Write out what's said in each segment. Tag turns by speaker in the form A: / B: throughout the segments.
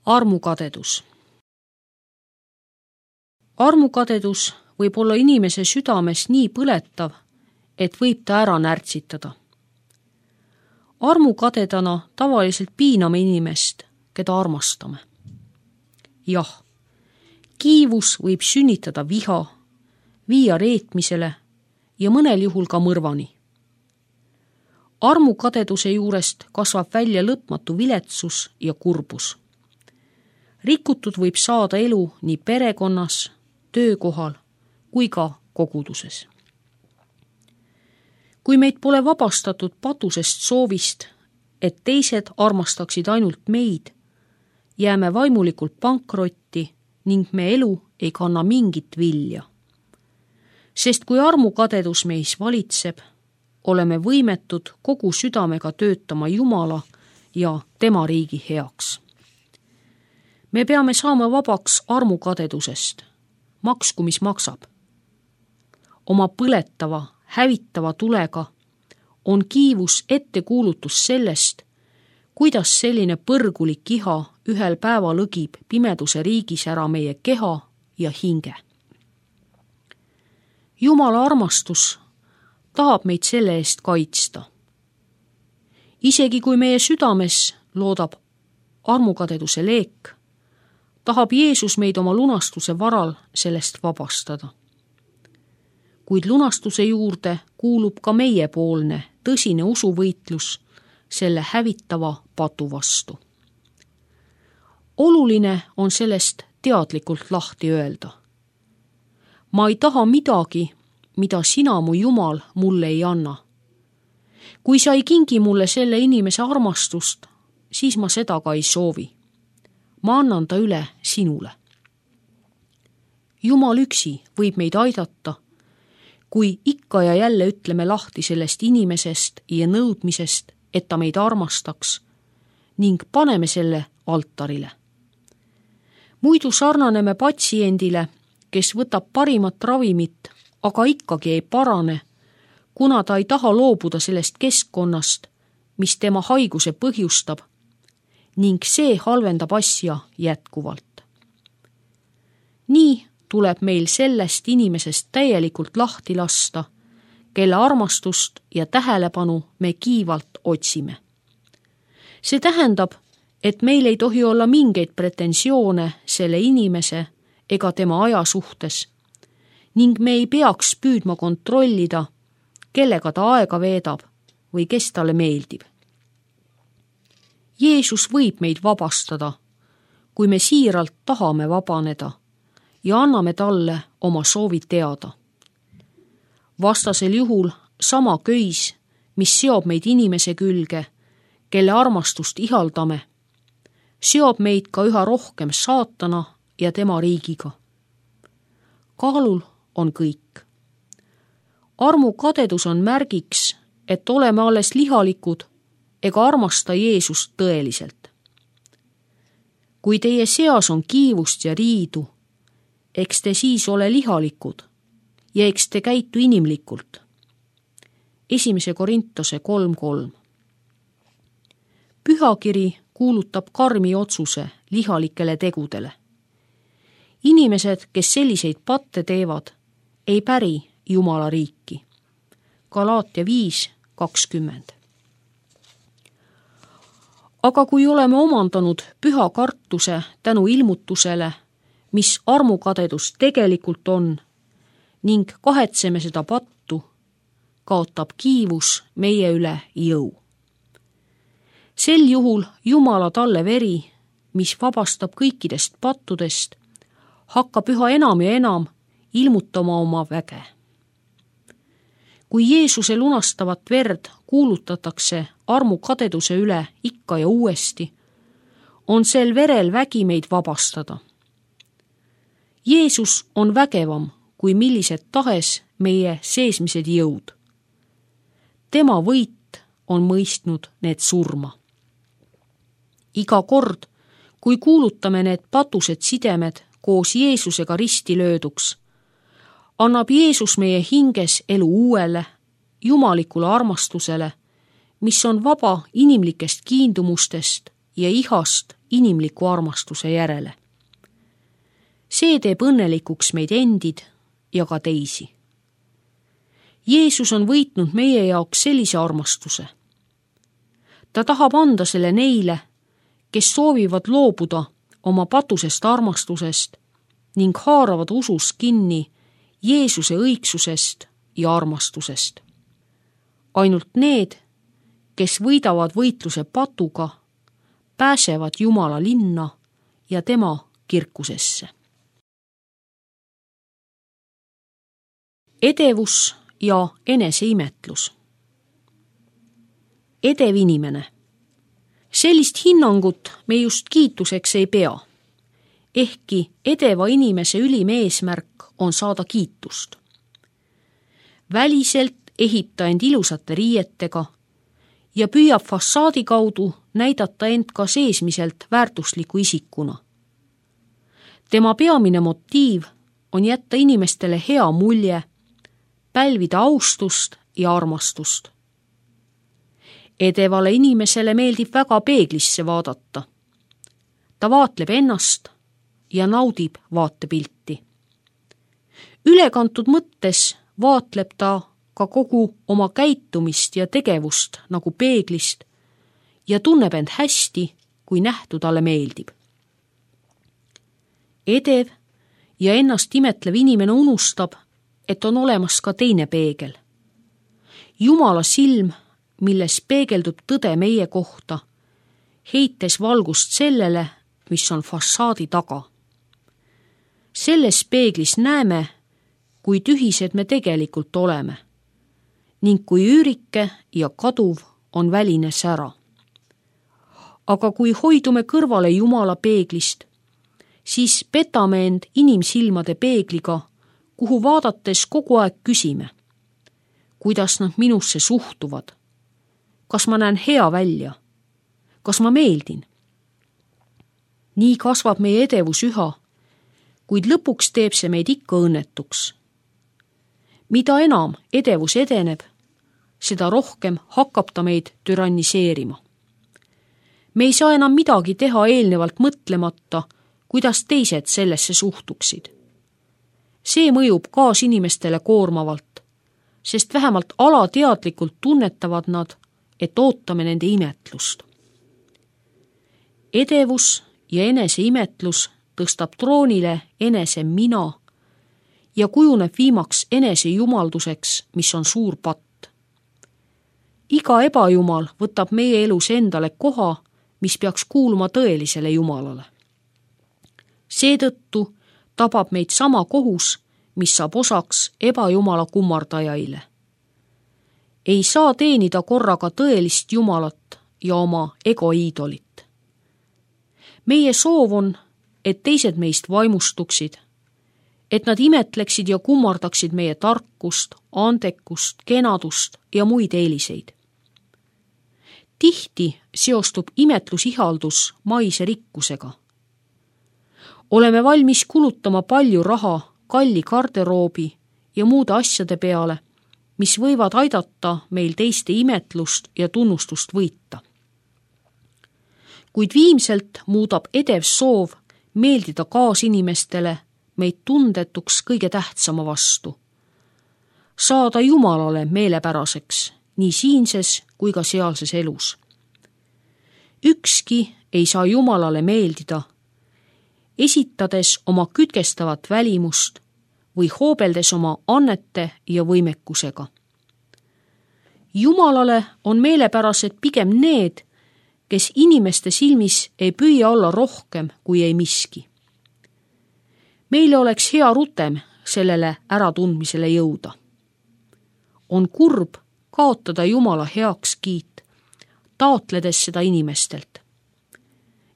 A: Armukadedus. Armukadedus võib olla inimese südames nii põletav, et võib ta ära närtsitada. Armukadedana tavaliselt piiname inimest, keda armastame. Jah, kiivus võib sünnitada viha, viia reetmisele ja mõnel juhul ka mõrvani. Armukadeduse juurest kasvab välja lõpmatu viletsus ja kurbus. Rikutud võib saada elu nii perekonnas, töökohal kui ka koguduses. Kui meid pole vabastatud patusest soovist, et teised armastaksid ainult meid, jääme vaimulikult pankrotti ning me elu ei kanna mingit vilja. Sest kui armukadedus meis valitseb, oleme võimetud kogu südamega töötama Jumala ja tema riigi heaks. Me peame saama vabaks armukadedusest, maksku mis maksab. Oma põletava, hävitava tulega on kiivus ettekuulutus sellest, kuidas selline põrgulik iha ühel päeval õgib pimeduse riigis ära meie keha ja hinge. Jumala armastus tahab meid selle eest kaitsta. Isegi kui meie südames loodab armukadeduse leek, tahab Jeesus meid oma lunastuse varal sellest vabastada. Kuid lunastuse juurde kuulub ka meiepoolne tõsine usuvõitlus selle hävitava patu vastu. Oluline on sellest teadlikult lahti öelda. Ma ei taha midagi, mida sina, mu Jumal, mulle ei anna. Kui sa ei kingi mulle selle inimese armastust, siis ma seda ka ei soovi. Ma annan ta üle sinule. Jumal üksi võib meid aidata, kui ikka ja jälle ütleme lahti sellest inimesest ja nõudmisest, et ta meid armastaks, ning paneme selle altarile. Muidu sarnaneme patsiendile, kes võtab parimat ravimit, aga ikkagi ei parane, kuna ta ei taha loobuda sellest keskkonnast, mis tema haiguse põhjustab, ning see halvendab asja jätkuvalt. Nii tuleb meil sellest inimesest täielikult lahti lasta, kelle armastust ja tähelepanu me kiivalt otsime. See tähendab, et meil ei tohi olla mingeid pretensioone selle inimese ega tema aja suhtes ning me ei peaks püüdma kontrollida, kellega ta aega veedab või kes talle meeldib. Jeesus võib meid vabastada, kui me siiralt tahame vabaneda ja anname talle oma soovid teada. Vastasel juhul sama köis, mis seob meid inimese külge, kelle armastust ihaldame, seob meid ka üha rohkem saatana ja tema riigiga. Kaalul on kõik. Armukadedus on märgiks, et oleme alles lihalikud ega armasta Jeesust tõeliselt. Kui teie seas on kiivust ja riidu, eks te siis ole lihalikud ja eks te käitu inimlikult. 1. Korintuse 3:3. Pühakiri kuulutab karmi otsuse lihalikele tegudele. Inimesed, kes selliseid patte teevad, ei päri Jumala riiki. Galaatia 5:20. Aga kui oleme omandanud püha kartuse tänu ilmutusele, mis armukadedus tegelikult on, ning kahetseme seda pattu, kaotab kiivus meie üle jõu. Sel juhul Jumala talle veri, mis vabastab kõikidest pattudest, hakkab üha enam ja enam ilmutama oma väge. Kui Jeesuse lunastavat verd kuulutatakse armukadeduse üle ikka ja uuesti, on sel verel vägi meid vabastada. Jeesus on vägevam kui millised tahes meie seesmised jõud. Tema võit on mõistnud need surma. Iga kord, kui kuulutame need patused sidemed koos Jeesusega risti lööduks, annab Jeesus meie hinges elu uuele, jumalikule armastusele, mis on vaba inimlikest kiindumustest ja ihast inimliku armastuse järele. See teeb õnnelikuks meid endid ja ka teisi. Jeesus on võitnud meie jaoks sellise armastuse. Ta tahab anda selle neile, kes soovivad loobuda oma patusest armastusest ning haaravad usus kinni Jeesuse õigsusest ja armastusest. Ainult need, kes võidavad võitluse patuga, pääsevad Jumala linna ja tema kirkusesse. Edevus ja eneseimetlus. Edev inimene. Sellist hinnangut me just kiituseks ei pea, ehkki edeva inimese ülim eesmärk on saada kiitust. Väliselt ehib ta end ilusate riietega ja püüab fassaadi kaudu näidata end ka seesmiselt väärtusliku isikuna. Tema peamine motiiv on jätta inimestele hea mulje, pälvida austust ja armastust. Edevale inimesele meeldib väga peeglisse vaadata. Ta vaatleb ennast ja naudib vaatepilti. Ülekantud mõttes vaatleb ta ka kogu oma käitumist ja tegevust nagu peeglist ja tunneb end hästi, kui nähtu talle meeldib. Edev ja ennast imetlev inimene unustab, et on olemas ka teine peegel. Jumala silm, milles peegeldub tõde meie kohta, heites valgust sellele, mis on fassaadi taga. Selles peeglis näeme, kui tühised me tegelikult oleme ning kui üürike ja kaduv on väline sära. Aga kui hoidume kõrvale Jumala peeglist, siis petame end inimsilmade peegliga, kuhu vaadates kogu aeg küsime, kuidas nad minusse suhtuvad, kas ma näen hea välja, kas ma meeldin. Nii kasvab meie edevus üha, kuid lõpuks teeb see meid ikka õnnetuks. Mida enam edevus edeneb, seda rohkem hakkab ta meid türanniseerima. Me ei saa enam midagi teha eelnevalt mõtlemata, kuidas teised sellesse suhtuksid. See mõjub kaasinimestele koormavalt, sest vähemalt alateadlikult tunnetavad nad, et ootame nende imetlust. Edevus ja eneseimetlus tõstab troonile enese mina ja kujuneb viimaks enesejumalduseks, mis on suur patt. Iga ebajumal võtab meie elus endale koha, mis peaks kuuluma tõelisele Jumalale. Seetõttu tabab meid sama kohus, mis saab osaks ebajumala kummardajaile. Ei saa teenida korraga tõelist Jumalat ja oma egoiidolit. Meie soov on, et teised meist vaimustuksid, et nad imetleksid ja kummardaksid meie tarkust, andekust, kenadust ja muid eeliseid. Tihti seostub imetlusihaldus maise rikkusega. Oleme valmis kulutama palju raha kalli garderoobi ja muude asjade peale, mis võivad aidata meil teiste imetlust ja tunnustust võita. Kuid viimselt muudab edev soov meeldida kaasinimestele meid tundetuks kõige tähtsama vastu. Saada Jumalale meelepäraseks nii siinses kui ka sealses elus. Ükski ei saa Jumalale meeldida, esitades oma kütkestavat välimust või hoobeldes oma annete ja võimekusega. Jumalale on meelepärased pigem need, kes inimeste silmis ei püüa olla rohkem kui ei miski. Meile oleks hea rutem sellele äratundmisele jõuda. On kurb kaotada Jumala heakskiit, taotledes seda inimestelt.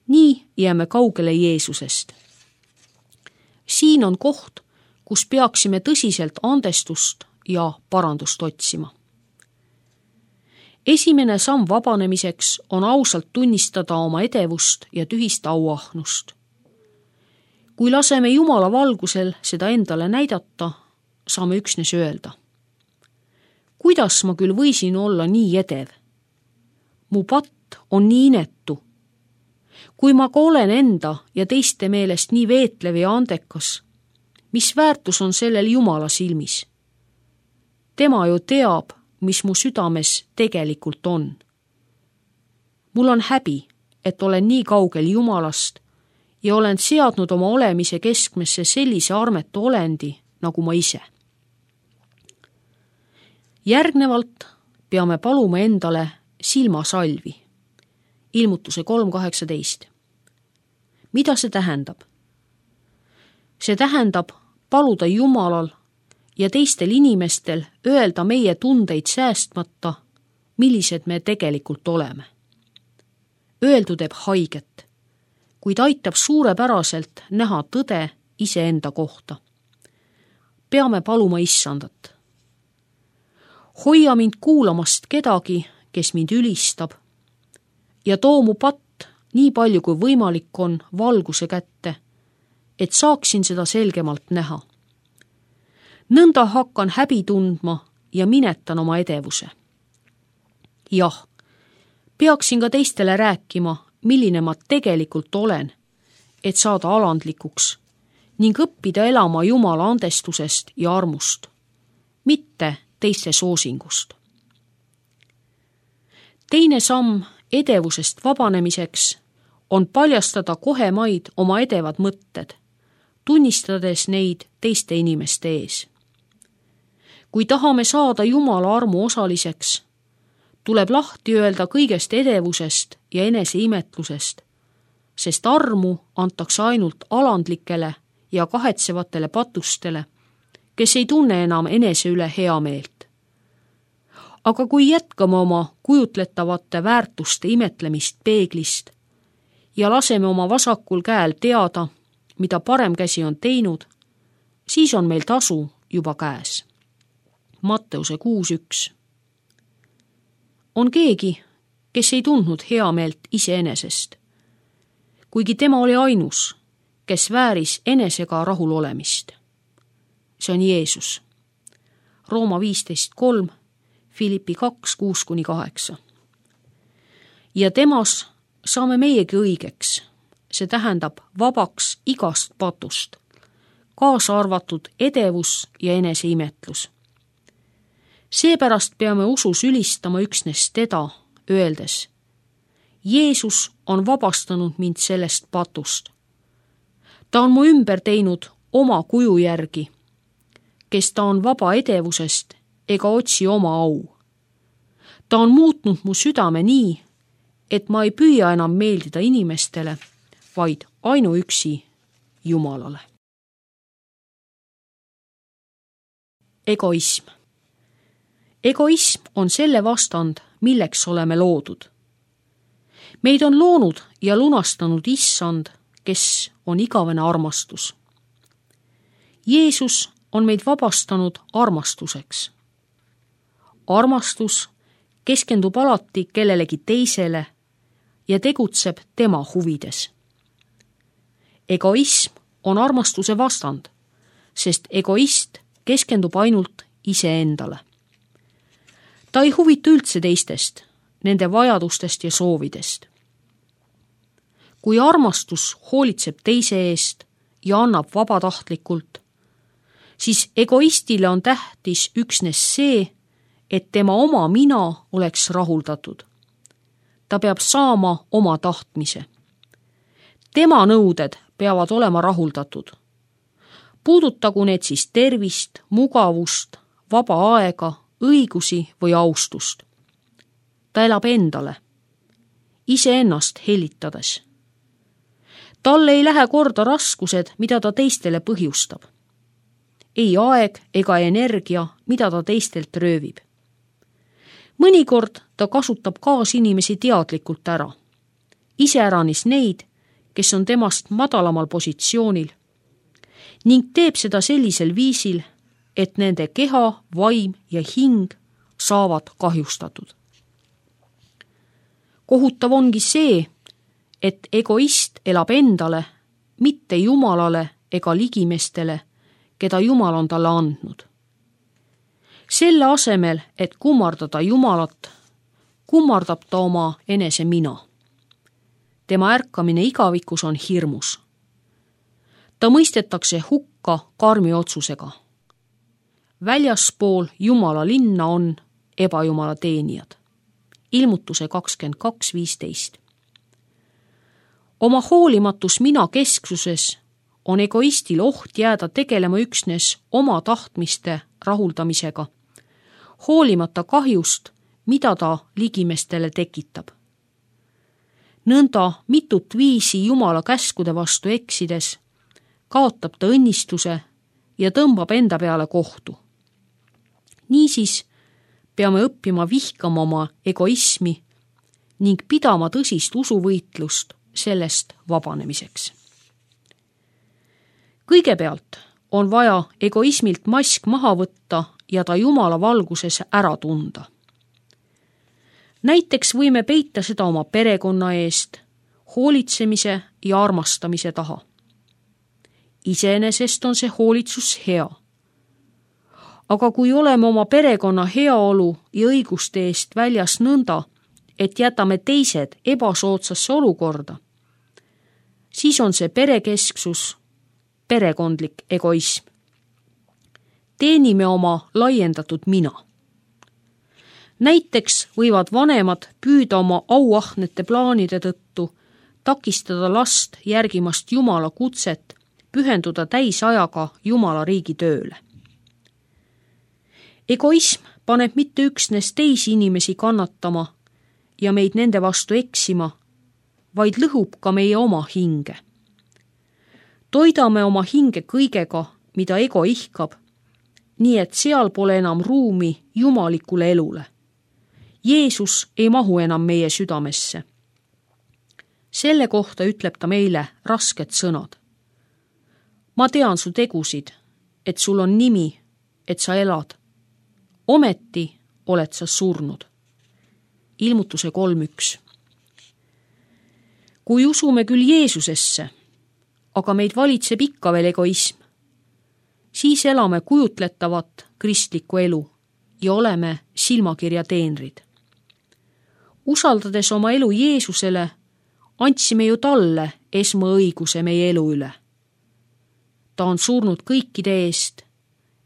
A: Nii jääme kaugele Jeesusest. Siin on koht, kus peaksime tõsiselt andestust ja parandust otsima. Esimene samm vabanemiseks on ausalt tunnistada oma edevust ja tühist auahnust. Kui laseme Jumala valgusel seda endale näidata, saame üksnes öelda. Kuidas ma küll võisin olla nii edev? Mu patt on nii inetu. kui ma ka olen enda ja teiste meelest nii veetlev ja andekas, mis väärtus on sellel Jumala silmis? Tema ju teab, mis mu südames tegelikult on. Mul on häbi, et olen nii kaugel Jumalast ja olen seadnud oma olemise keskmesse sellise armetu olendi, nagu ma ise. Järgnevalt peame paluma endale silmasalvi. Ilmutuse 3.18. Mida see tähendab? See tähendab paluda Jumalal ja teistel inimestel öelda meie tundeid säästmata, millised me tegelikult oleme. Öeldu teeb haiget, kuid aitab suurepäraselt näha tõde iseenda kohta. Peame paluma Issandat. Hoia mind kuulamast kedagi, kes mind ülistab, ja too mu patt nii palju kui võimalik on valguse kätte, et saaksin seda selgemalt näha. Nõnda hakkan häbi tundma ja minetan oma edevuse. Jah, peaksin ka teistele rääkima, milline ma tegelikult olen, et saada alandlikuks ning õppida elama Jumala andestusest ja armust, mitte teiste soosingust. Teine samm edevusest vabanemiseks on paljastada kohemaid oma edevad mõtted, tunnistades neid teiste inimeste ees. Kui tahame saada Jumala armu osaliseks, tuleb lahti öelda kõigest edevusest ja eneseimetlusest, sest armu antakse ainult alandlikele ja kahetsevatele patustele, kes ei tunne enam enese üle heameelt. Aga kui jätkame oma kujutletavate väärtuste imetlemist peeglist ja laseme oma vasakul käel teada, mida parem käsi on teinud, siis on meil tasu juba käes. Matteuse 6.1. On keegi, kes ei tundnud heameelt iseenesest, kuigi tema oli ainus, kes vääris enesega rahul olemist. See on Jeesus. Rooma 15.3, Filippi 2.6-8. Ja temas saame meiegi õigeks, see tähendab vabaks igast patust, kaasa arvatud edevus ja eneseimetlus. Seepärast peame usus ülistama üksnes teda, öeldes: Jeesus on vabastanud mind sellest patust. Ta on mu ümber teinud oma kuju järgi, kes ta on vaba edevusest ega otsi oma au. Ta on muutnud mu südame nii, et ma ei püüa enam meeldida inimestele, vaid ainuüksi Jumalale. Egoism. Egoism on selle vastand, milleks oleme loodud. Meid on loonud ja lunastanud Issand, kes on igavene armastus. Jeesus on meid vabastanud armastuseks. Armastus keskendub alati kellelegi teisele ja tegutseb tema huvides. Egoism on armastuse vastand, sest egoist keskendub ainult iseendale. Ta ei huvitu üldse teistest, nende vajadustest ja soovidest. Kui armastus hoolitseb teise eest ja annab vabatahtlikult, siis egoistile on tähtis üksnes see, et tema oma mina oleks rahuldatud. Ta peab saama oma tahtmise. Tema nõuded peavad olema rahuldatud. Puudutagu need siis tervist, mugavust, vaba aega, õigusi või austust. Ta elab endale, iseennast hellitades. Talle ei lähe korda raskused, mida ta teistele põhjustab. Ei aeg ega energia, mida ta teistelt röövib. Mõnikord ta kasutab kaasinimesi teadlikult ära. Iseäranis neid, kes on temast madalamal positsioonil, ning teeb seda sellisel viisil, et nende keha, vaim ja hing saavad kahjustatud. Kohutav ongi see, et egoist elab endale, mitte Jumalale ega ligimestele, keda Jumal on talle andnud. Selle asemel, et kummardada Jumalat, kummardab ta oma enese mina. tema ärkamine igavikus on hirmus. Ta mõistetakse hukka karmi otsusega. Väljaspool Jumala linna on ebajumala teenijad. Ilmutuse 22.15. Oma hoolimatus mina kesksuses on egoistil oht jääda tegelema üksnes oma tahtmiste rahuldamisega, hoolimata kahjust, mida ta ligimestele tekitab. Nõnda mitut viisi Jumala käskude vastu eksides kaotab ta õnnistuse ja tõmbab enda peale kohtu. Niisiis peame õppima vihkama oma egoismi ning pidama tõsist usuvõitlust sellest vabanemiseks. Kõigepealt on vaja egoismilt mask maha võtta ja ta Jumala valguses ära tunda. Näiteks võime peita seda oma perekonna eest, hoolitsemise ja armastamise taha. Iseenesest on see hoolitsus hea. Aga kui oleme oma perekonna heaolu ja õiguste eest väljas nõnda, et jätame teised ebasoodsasse olukorda, siis on see perekesksus, perekondlik egoism. Teenime oma laiendatud mina. Näiteks võivad vanemad püüda oma auahnete plaanide tõttu takistada last järgimast Jumala kutset pühenduda täisajaga Jumala riigi tööle. Egoism paneb mitte üksnes teisi inimesi kannatama ja meid nende vastu eksima, vaid lõhub ka meie oma hinge. Toidame oma hinge kõigega, mida ego ihkab, nii et seal pole enam ruumi jumalikule elule. Jeesus ei mahu enam meie südamesse. Selle kohta ütleb ta meile rasked sõnad. Ma tean su tegusid, et sul on nimi, et sa elad. Ometi oled sa surnud. Ilmutuse 3.1. Kui usume küll Jeesusesse, aga meid valitseb ikka veel egoism, siis elame kujutletavat kristlikku elu ja oleme silmakirja teenrid. Usaldades oma elu Jeesusele, andsime ju talle esmaõiguse meie elu üle. Ta on surnud kõikide eest,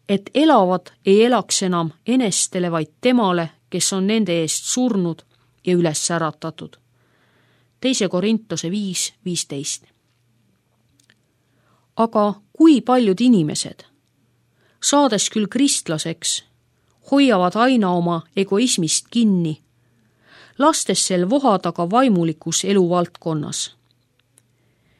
A: et elavad ei elaks enam enestele, vaid temale, kes on nende eest surnud ja üles äratatud. 2. Korintuse 5.15. Aga kui paljud inimesed, saades küll kristlaseks, hoiavad aina oma egoismist kinni, lastes sel vohada ka vaimulikus eluvaldkonnas.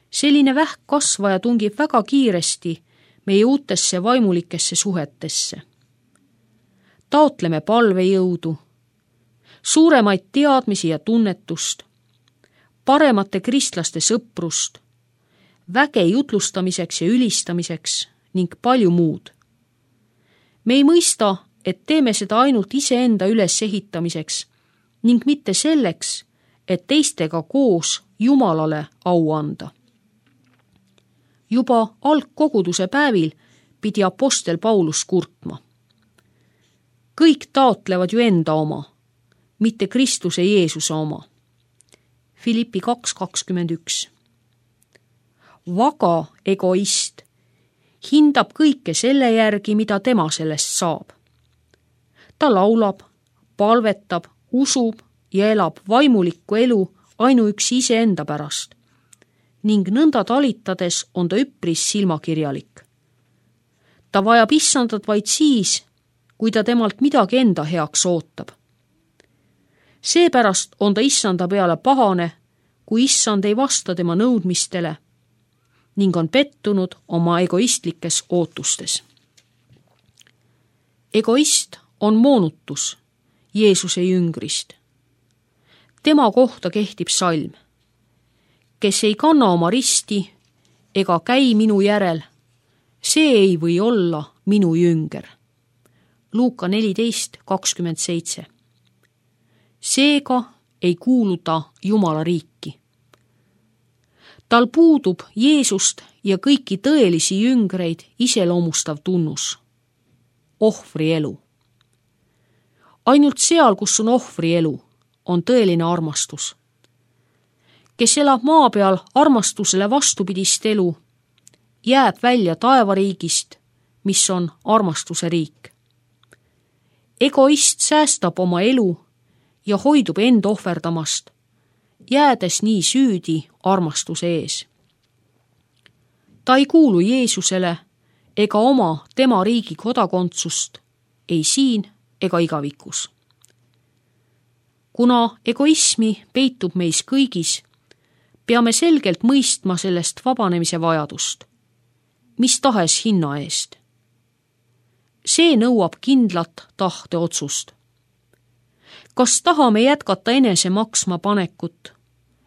A: Selline vähk kasvaja tungib väga kiiresti meie uutesse vaimulikesse suhetesse. Taotleme palvejõudu, suuremaid teadmisi ja tunnetust, paremate kristlaste sõprust, väge jutlustamiseks ja ülistamiseks ning palju muud. Me ei mõista, et teeme seda ainult iseenda ülesehitamiseks ning mitte selleks, et teistega koos Jumalale au anda. Juba algkoguduse päevil pidi apostel Paulus kurtma. Kõik taotlevad ju enda oma, mitte Kristuse Jeesuse oma. Filippi 2.21. Vaga egoist hindab kõike selle järgi, mida tema sellest saab. Ta laulab, palvetab, usub ja elab vaimulikku elu ainuüksi iseenda pärast ning nõnda talitades on ta üpris silmakirjalik. Ta vajab issandat vaid siis, kui ta temalt midagi enda heaks ootab. Seepärast on ta issanda peale pahane, kui issand ei vasta tema nõudmistele ning on pettunud oma egoistlikes ootustes. Egoist on moonutus Jeesuse jüngrist. Tema kohta kehtib salm. Kes ei kanna oma risti ega käi minu järel, see ei või olla minu jünger. Luuka 14.27. Seega ei kuulu ta Jumala riiki. Tal puudub Jeesust ja kõiki tõelisi jüngreid iseloomustav tunnus. Ohvri elu. Ainult seal, kus on ohvri elu, on tõeline armastus. kes elab maa peal armastusele vastupidist elu, jääb välja taevariigist, mis on armastuse riik. Egoist säästab oma elu ja hoidub end ohverdamast, jäädes nii süüdi armastuse ees. Ta ei kuulu Jeesusele ega oma tema riigi kodakondsust, ei siin ega igavikus. Kuna egoismi peitub meis kõigis, peame selgelt mõistma sellest vabanemise vajadust, mis tahes hinna eest. See nõuab kindlat tahteotsust. Kas tahame jätkata enese maksma panekut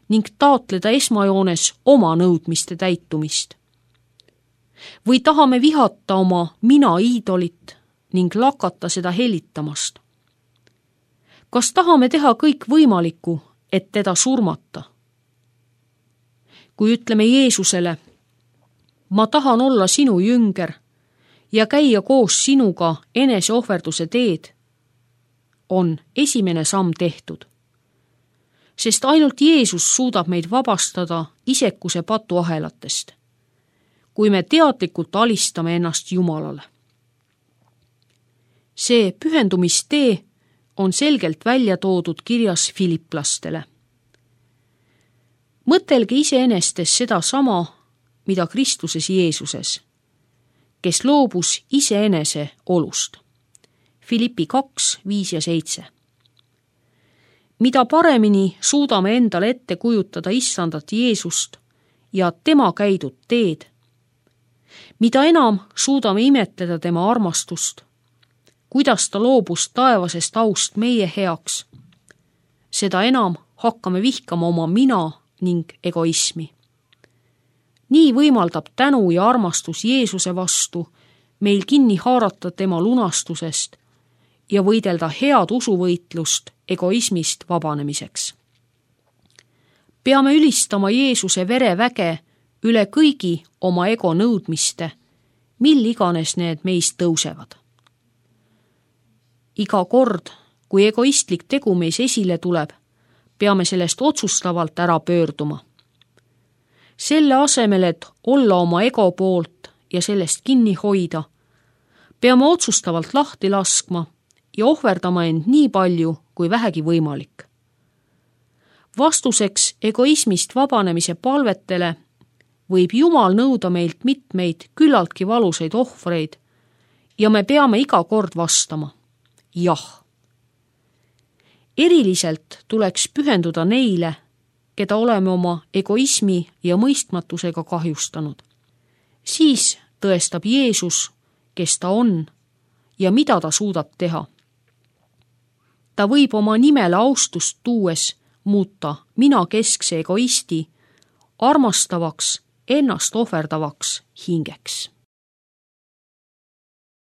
A: ning taotleda esmajoones oma nõudmiste täitumist? Või tahame vihata oma mina iidolit ning lakata seda helitamast? Kas tahame teha kõik võimalikku, et teda surmata? Kui ütleme Jeesusele, ma tahan olla sinu jünger ja käia koos sinuga eneseohverduse teed, on esimene samm tehtud. Sest ainult Jeesus suudab meid vabastada isekuse patuahelatest, kui me teadlikult alistame ennast Jumalale. See pühendumistee on selgelt välja toodud kirjas filiplastele. Mõtelge iseenestes seda sama, mida Kristuses Jeesuses, kes loobus iseenese olust. Filippi 2, 5 ja 7. Mida paremini suudame endale ette kujutada issandat Jeesust ja tema käidud teed, mida enam suudame imetleda tema armastust, kuidas ta loobus taevasest aust meie heaks, seda enam hakkame vihkama oma mina ning egoismi. Nii võimaldab tänu ja armastus Jeesuse vastu meil kinni haarata tema lunastusest ja võidelda head usuvõitlust egoismist vabanemiseks. Peame ülistama Jeesuse vereväge üle kõigi oma ego nõudmiste, mil iganes need meist tõusevad. Iga kord, kui egoistlik tegu meis esile tuleb, peame sellest otsustavalt ära pöörduma. Selle asemel, et olla oma ego poolt ja sellest kinni hoida, peame otsustavalt lahti laskma ja ohverdama end nii palju, kui vähegi võimalik. Vastuseks egoismist vabanemise palvetele võib Jumal nõuda meilt mitmeid küllaltki valusaid ohvreid ja me peame iga kord vastama jah. Eriliselt tuleks pühenduda neile, keda oleme oma egoismi ja mõistmatusega kahjustanud. Siis tõestab Jeesus, kes ta on ja mida ta suudab teha. Ta võib oma nimele austust tuues muuta mina keskse egoisti armastavaks, ennast ohverdavaks hingeks.